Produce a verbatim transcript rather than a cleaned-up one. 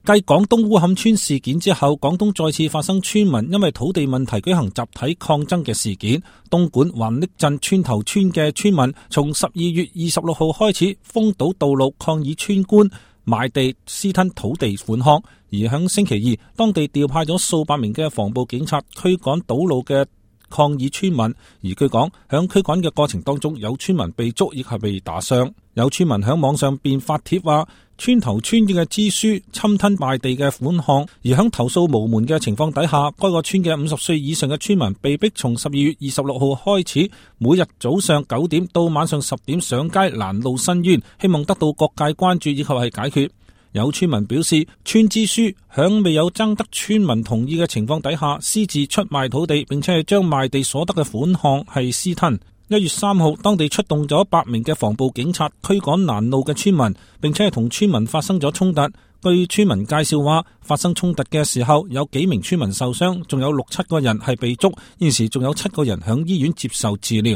繼廣東烏坎村事件之後，廣東再次發生村民因為土地問題舉行集體抗爭嘅事件。東莞橫瀝鎮村頭村嘅村民從十二月二十六號開始封堵道路抗議村官賣地私吞土地款項，而響星期二，當地調派咗數百名嘅防暴警察驅趕堵路嘅抗議村民，而據講響驅趕嘅過程當中，有村民被捉亦係被打傷。有村民響網上便發帖話，村頭村嘅支書侵吞賣地嘅款項，而響投訴無門嘅情況底下，該個村嘅五十歲以上嘅村民被逼從十二月二十六號開始，每日早上九點到晚上十點上街攔路申冤，希望得到各界關注以及係解決。有村民表示，村支書響未有徵得村民同意嘅情況底下，私自出賣土地，並且係將賣地所得嘅款項係私吞。一月三號，當地出動咗百名嘅防暴警察驅趕攔路嘅村民，並且係同村民發生咗衝突。據村民介紹話，發生衝突嘅時候有幾名村民受傷，仲有六七個人係被捉，現時仲有七個人響醫院接受治療。